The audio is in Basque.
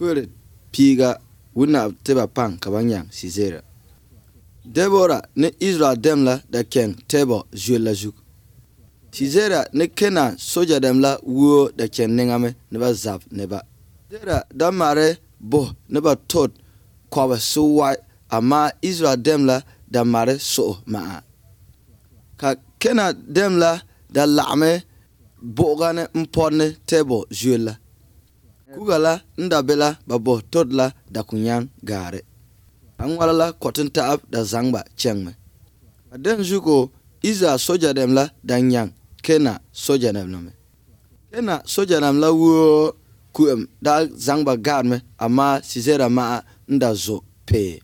Pure piga wuna teba pang kabanyang Sisera. Deborah ne Israel demla da ken tebo juela juk. Sisera ne Kenan soja demla wo da ken nengame neba zap neba. Sisera da mare bo neba tot kwa so ama Israel demla da mare so ma. Ka Kenan demla da lame bogane mpone tebo juela. Kugala ndabela babo todla da kunyang gare. Angwalala cotton taab da zangba chengme. Aden juko Iza soja demla da nyang Kena soja demla. Kena soja demla wo kuem da zangba garme ama Sisera ma nda zo pe.